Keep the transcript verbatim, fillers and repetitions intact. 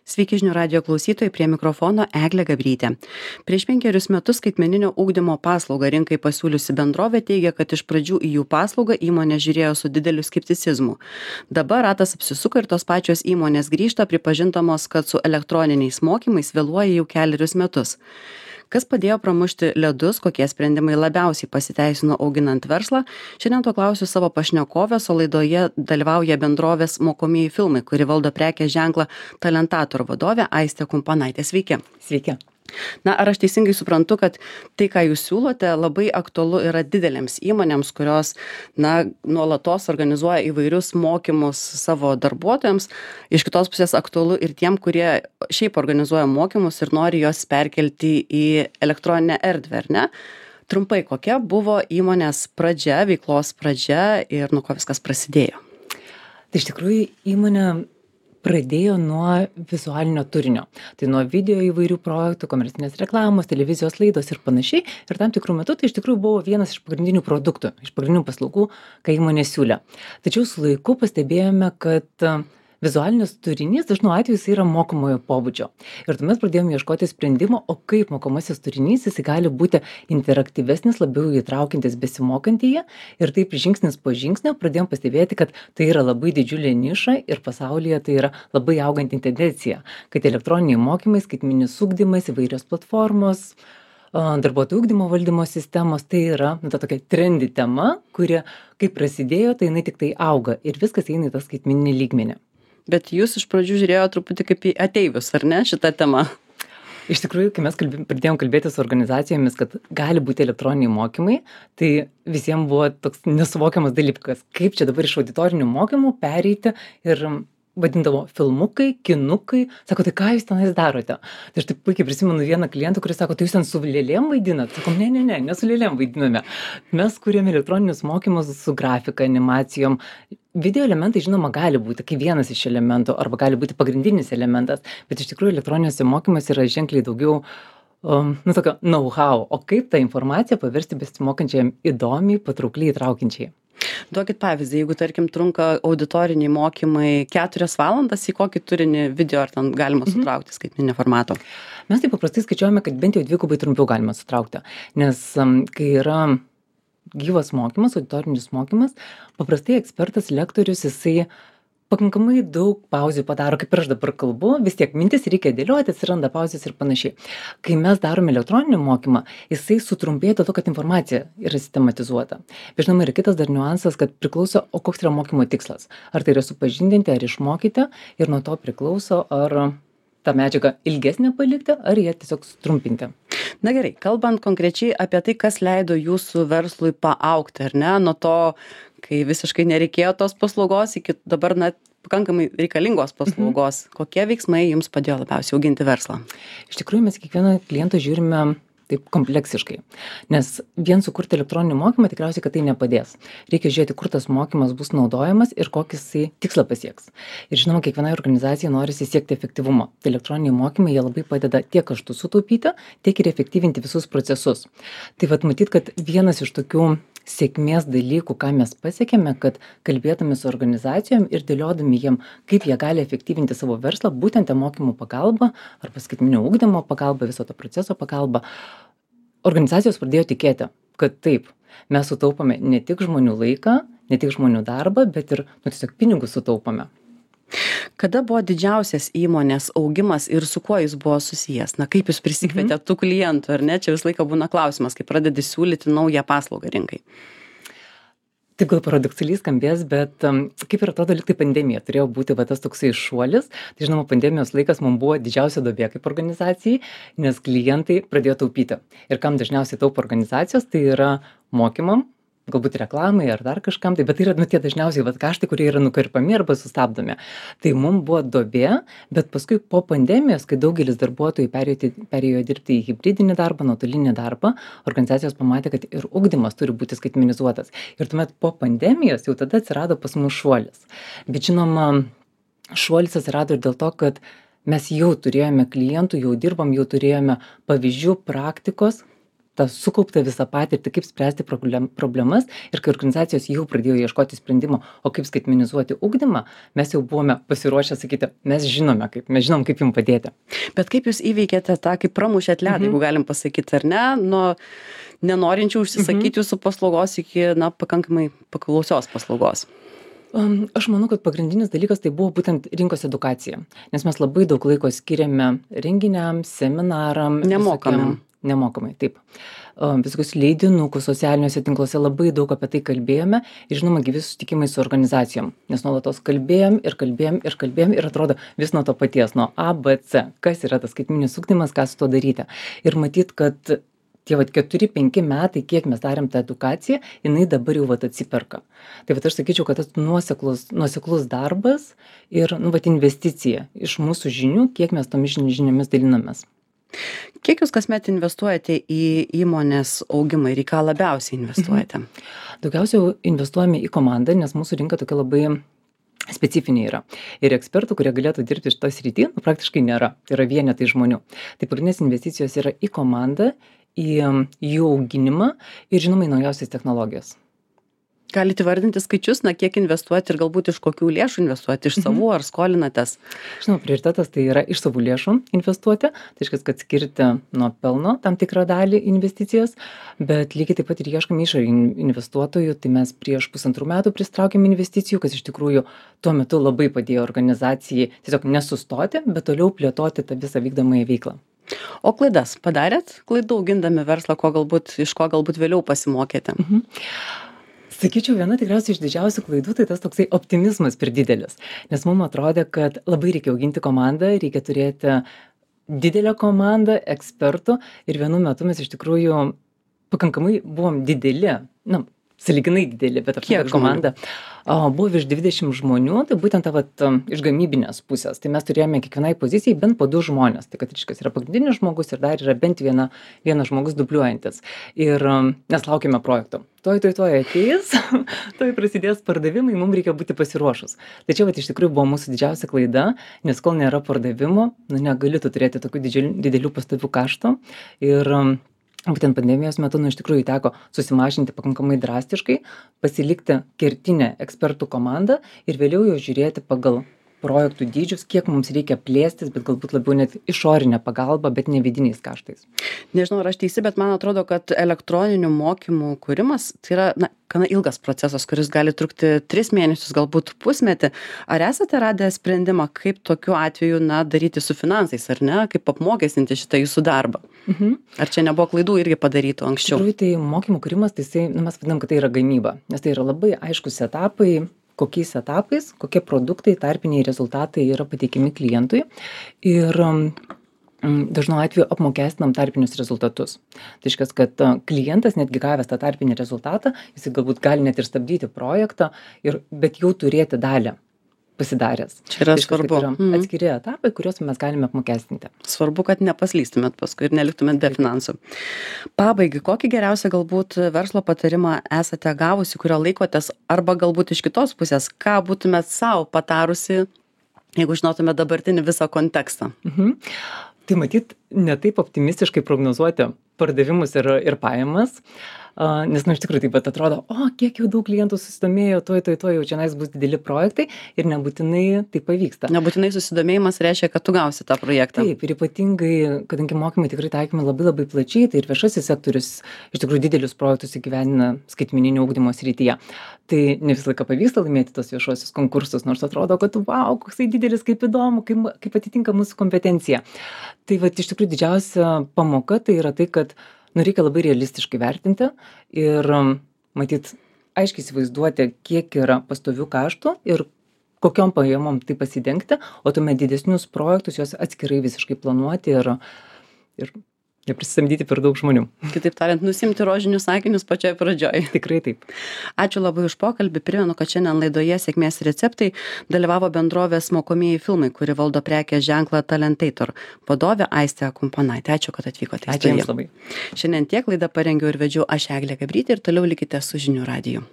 Sveiki žinių radijo klausytojai, prie mikrofono Eglė Gabrytė. Prieš penkerius metus skaitmeninio ugdymo paslaugą rinkai pasiūliusi bendrovė teigia, kad iš pradžių į jų paslaugą įmonė žiūrėjo su dideliu skepticizmu. Dabar ratas apsisuka ir tos pačios įmonės grįžta pripažintamos, kad su elektroniniais mokymais vėluoja jau kelerius metus. Kas padėjo pramušti ledus, kokie sprendimai labiausiai pasiteisino auginant verslą? Šiandien to klausiu savo pašnekovės, o laidoje dalyvauja bendrovės Mokomieji filmai, kuri valdo prekės ženklą Talentator vadovė Aistė Kumpanaitė. Sveiki. Sveiki. Na, ar aš teisingai suprantu, kad tai, ką jūs siūlote, labai aktualu yra didelėms įmonėms, kurios, na, nuolatos organizuoja įvairius mokymus savo darbuotojams. Iš kitos pusės aktualu ir tiem, kurie šiaip organizuoja mokymus ir nori juos perkelti į elektroninę erdvę, ar ne? Trumpai, kokia buvo įmonės pradžia, veiklos pradžia ir nuo ko viskas prasidėjo? Tai iš tikrųjų įmonė pradėjo nuo vizualinio turinio. Tai nuo video įvairių projektų, komercinės reklamos, televizijos laidos ir panašiai. Ir tam tikrų metų tai iš tikrųjų buvo vienas iš pagrindinių produktų, iš pagrindinių paslaugų, ką įmonė siūlė. Tačiau su laiku pastebėjome, kad vizualinis turinys dažnu atveju jis yra mokomojo pobūdžio. Ir tuomet pradėjome ieškoti sprendimo, o kaip mokomasis turinys jis gali būti interaktyvesnis, labiau įtraukiantis besimokantįje. Ir taip žingsnis po žingsnio pradėjome pastebėti, kad tai yra labai didžiulė niša ir pasaulyje tai yra labai auganti tendencija, kad elektroniniai mokymai, skaitmeninis ugdymas, įvairios platformos, darbuotojų ugdymo valdymo sistemos, tai yra nu, ta tokia trendi tema, kuri kaip prasidėjo, tai jinai tik tai auga ir viskas eina į tą skaitmeninį lygmenį. Bet jūs iš pradžių žiūrėjo truputį kaip į ateivius, ar ne, šitą temą? Iš tikrųjų, kai mes kalbė, pradėjom kalbėti su organizacijomis, kad gali būti elektroniniai mokymai, tai visiems buvo toks nesuvokiamas dalykas, kaip čia dabar iš auditorinių mokymų pereiti ir vadindavo filmukai, kinukai, sako, tai ką jūs tenais darote? Tai aš taip puikiai prisimenu vieną klientą, kuris sako, tai jūs ten su lėlėm vaidinat? Sakom, ne, ne, ne, ne su lėlėm vaidiname. Mes kūrėme elektroninius mokymus su grafika, animacijom. Video elementai, žinoma, gali būti kaip vienas iš elementų arba gali būti pagrindinis elementas, bet iš tikrųjų elektroniniuose mokymuose yra ženkliai daugiau um, nu, tokio know-how, o kaip tą informaciją paversti besimokančiam įdomiai, patraukliai, įtraukiančiai. Duokit pavyzdį, jeigu, tarkim, trunka auditoriniai mokymai keturias valandas, į kokį turinį video ar ten galima sutraukti mhm. skaitmeninio formato? Mes taip paprastai skaičiuojame, kad bent jau dvigubai trumpiau galima sutraukti, nes um, kai yra gyvas mokymas, auditorinis mokymas, paprastai ekspertas, lektorius, jisai pakankamai daug pauzių padaro, kaip ir aš dabar kalbu, vis tiek mintis reikia dėlioti, atsiranda pauzės ir panašiai. Kai mes darome elektroninį mokymą, jisai sutrumpėja dėl to, kad informacija yra sistematizuota. Bet žinoma, yra kitas dar niuansas, kad priklauso, o koks yra mokymo tikslas. Ar tai yra supažindinti, ar išmokyti, ir nuo to priklauso, ar tą medžiagą ilgesnę palikti, ar ją tiesiog sutrumpinti. Na gerai, kalbant konkrečiai apie tai, kas leido jūsų verslui paaugti, ar ne, nuo to, kai visiškai nereikėjo tos paslaugos, iki dabar net pakankamai reikalingos paslaugos, mhm. kokie veiksmai jums padėjo labiausiai auginti verslą? Iš tikrųjų, mes kiekvieną klientą žiūrime taip kompleksiškai, nes vien sukurti elektroninį mokymą tikriausiai, kad tai nepadės. Reikia žiūrėti, kur tas mokymas bus naudojamas ir kokį jisai tikslą pasieks. Ir žinoma, kiekvienai organizacijai norisi siekti efektyvumo. Tai elektroniniai mokymai jie labai padeda tiek kaštus sutaupyti, tiek ir efektyvinti visus procesus. Tai vat matyt, kad vienas iš tokių sėkmės dalykų, ką mes pasiekėme, kad kalbėdami su organizacijom ir dėliodami jiem, kaip jie gali efektyvinti savo verslą, būtent mokymų pagalba arba skaitmeninio ugdymo pagalba, viso to proceso pagalba, organizacijos pradėjo tikėti, kad taip, mes sutaupome ne tik žmonių laiką, ne tik žmonių darbą, bet ir nu, tiesiog pinigus sutaupome. Kada buvo didžiausias įmonės augimas ir su kuo jis buvo susijęs? Na, kaip jūs prisikvietėte mhm. tų klientų, ar ne? Čia visą laiką būna klausimas, kai pradedi siūlyti naują paslaugą rinkai. Taip gal paradoksaliai skambės, bet um, kaip ir atrodo, lyg tai pandemija turėjo būti va, tas toksai šuolis. Tai žinoma, pandemijos laikas mums buvo didžiausia duobė kaip organizacijai, nes klientai pradėjo taupyti. Ir kam dažniausiai taupo organizacijos, tai yra mokymam, galbūt reklamai ar dar kažkam, tai, bet tai yra nu, tie dažniausiai vat, kaštai, kurie yra nukarpami arba sustabdomi. Tai mums buvo duobė, bet paskui po pandemijos, kai daugelis darbuotojų perėjo, perėjo dirbti į hibridinį darbą, nuotolinį darbą, organizacijos pamatė, kad ir ugdymas turi būti skaitmenizuotas. Ir tuomet po pandemijos jau tada atsirado pas mus šuolis. Bet žinoma, šuolis atsirado ir dėl to, kad mes jau turėjome klientų, jau dirbam, jau turėjome pavyzdžių, praktikos, tą sukauptą visą patirtį, kaip spręsti problem, problemas ir kai organizacijos jau pradėjo ieškoti sprendimo, o kaip skaitmenizuoti ugdymą, mes jau buvome pasiruošę sakyti, mes žinome kaip, mes žinom, kaip jums padėti. Bet kaip jūs įveikėte tą, kaip pramušėt ledą, mhm. jeigu galim pasakyti, ar ne, nuo nenorinčių užsisakyti mhm. jūsų paslaugos iki, na, pakankamai paklausios paslaugos? Um, aš manau, kad pagrindinis dalykas tai buvo būtent rinkos edukacija, nes mes labai daug laiko skiriame renginiams, seminaram. Nemokamam. Nemokamai, taip. Um, visokius leidinukus socialiniuose tinkluose labai daug apie tai kalbėjome ir žinoma, gyvi susitikimai su organizacijom, nes nuolatos kalbėjom ir kalbėjom ir kalbėjom ir atrodo vis nuo to paties, nuo A, B, C, kas yra tas skaitmeninis ugdymas, ką su to daryti. Ir matyt, kad tie vat keturi penki metai, kiek mes darėm tą edukaciją, jinai dabar jau vat atsiperka. Tai vat aš sakyčiau, kad tas nuoseklus, nuoseklus darbas ir nu, vat investicija iš mūsų žinių, kiek mes tomis žiniomis dalinamės. Kiek jūs kasmet investuojate į įmonės augimą ir į ką labiausiai investuojate? Mhm. Daugiausiai investuojame į komandą, nes mūsų rinka tokia labai specifinė yra. Ir ekspertų, kurie galėtų dirbti šitą sritį, nu, praktiškai nėra. Tai yra vienetai žmonių. Tai pagrindinės investicijos yra į komandą, į jų auginimą ir žinoma į naujausias technologijas. Galite vardinti skaičius, na, kiek investuoti ir galbūt iš kokių lėšų investuoti, iš savų mhm. ar skolinatės? Žinoma, prioritetas tai yra iš savų lėšų investuoti, tai reiškia, kad skirti nuo pelno tam tikrą dalį investicijas, bet lygiai taip pat ir ieškome išorinių investuotojų, tai mes prieš pusantrų metų pristraukėm investicijų, kas iš tikrųjų tuo metu labai padėjo organizacijai tiesiog nesustoti, bet toliau plėtoti tą visą vykdomąją veiklą. O klaidas padarėt? Klaidų augindami verslą, ko galbūt, iš ko galbūt vėliau pasimokėte? Mhm. Sakyčiau, viena tikriausiai iš didžiausių klaidų tai tas toksai optimizmas per didelis, nes mums atrodė, kad labai reikia auginti komandą, reikia turėti didelę komandą ekspertų ir vienu metu mes iš tikrųjų pakankamai buvom dideli, na, sąlyginai dideli, bet kiek komanda o, buvo virš dvidešimt žmonių, tai būtent ta vat, iš gamybinės pusės, tai mes turėjome kiekvienai pozicijai bent po du žmonės, tai kad reiškia yra pagrindinis žmogus ir dar yra bent viena, vienas žmogus dubliuojantis ir mes laukime projekto. Toj, toj, toj ateis, toj prasidės pardavimai, mums reikia būti pasiruošus. Tai čia vat, iš tikrųjų buvo mūsų didžiausia klaida, nes kol nėra pardavimo, nu, negali tu turėti tokių didžiulių, didelių pastovių kaštų ir būtent pandemijos metu, nu, iš tikrųjų teko susimažinti pakankamai drastiškai, pasilikti kertinę ekspertų komandą ir vėliau jau žiūrėti pagal projektų dydžius, kiek mums reikia plėstis, bet galbūt labiau net išorinę pagalbą, bet ne vidiniais kaštais. Nežinau, ar aš teisi, bet man atrodo, kad elektroninių mokymų kūrimas tai yra, na, gana ilgas procesas, kuris gali trukti tris mėnesius, galbūt pusmetį. Ar esate radę sprendimą, kaip tokiu atveju, na, daryti su finansais, ar ne, kaip apmokestinti šitą jūsų darbą? Mhm. Ar čia nebuvo klaidų irgi padarytų anksčiau? Iš tikrųjų, tai mokymų kūrimas, tai jisai, nu, mes vadinam, kad tai yra gamyba, nes tai yra labai aiškus etapai, kokiais etapais, kokie produktai, tarpiniai rezultatai yra pateikiami klientui ir dažnu atveju apmokestinam tarpinius rezultatus. Tai reiškia, kad klientas netgi gavęs tą tarpinį rezultatą, jis galbūt gali net ir stabdyti projektą, ir, bet jau turėti dalį pasidaręs. Čia yra tai reiškia, svarbu. Yra mm. atskiri etapai, kuriuos mes galime apmokestinti. Svarbu, kad nepaslystumėt paskui ir neliktumėt be finansų. Pabaigai, kokį geriausią galbūt verslo patarimą esate gavusi, kurio laikotės, arba galbūt iš kitos pusės, ką būtumėt savo patarusi, jeigu žinotumėt dabartinį visą kontekstą? Mhm. Tai matyt, ne taip optimistiškai prognozuoti pardavimus ir, ir pajamas, Uh, nes, nu, iš tikrųjų taip pat atrodo, o, kiek jau daug klientų susidomėjo, toj, toj, toj, jau čia nais bus dideli projektai ir nebūtinai tai pavyksta. Nebūtinai susidomėjimas reiškia, kad tu gausi tą projektą. Taip, ir ypatingai, kadangi mokymai tikrai taikomi labai labai plačiai, tai ir viešasis sektorius iš tikrųjų didelius projektus įgyvendina skaitmeninio ugdymo srityje. Tai ne visą laiką pavyksta laimėti tos viešuosius konkursus, nors atrodo, kad wow, koksai didelis, kaip įdomu, kaip, kaip atitinka mūsų kompetencija. Tai va, iš tikrųjų didžiausia pamoka tai yra tai, kad nu, reikia labai realistiškai vertinti ir matyt aiškiai įsivaizduoti, kiek yra pastovių kaštų ir kokiom pajamom tai pasidengti, o tuomet didesnius projektus juos atskirai visiškai planuoti ir, ir neprisisamdyti per daug žmonių. Kitaip tariant, nusimti rožinius sakinius pačioje pradžioje. Tikrai taip. Ačiū labai už pokalbį. Primenu, kad šiandien laidoje Sėkmės receptai dalyvavo bendrovės Mokomieji filmai, kuri valdo prekės ženklą Talentator, vadovė Aistė Kumponaitė. Ačiū, kad atvykote. Ačiū jums labai. Šiandien tiek laidą parengiau ir vedžiau aš Eglė Gabrytė ir toliau likite su Žinių radiju.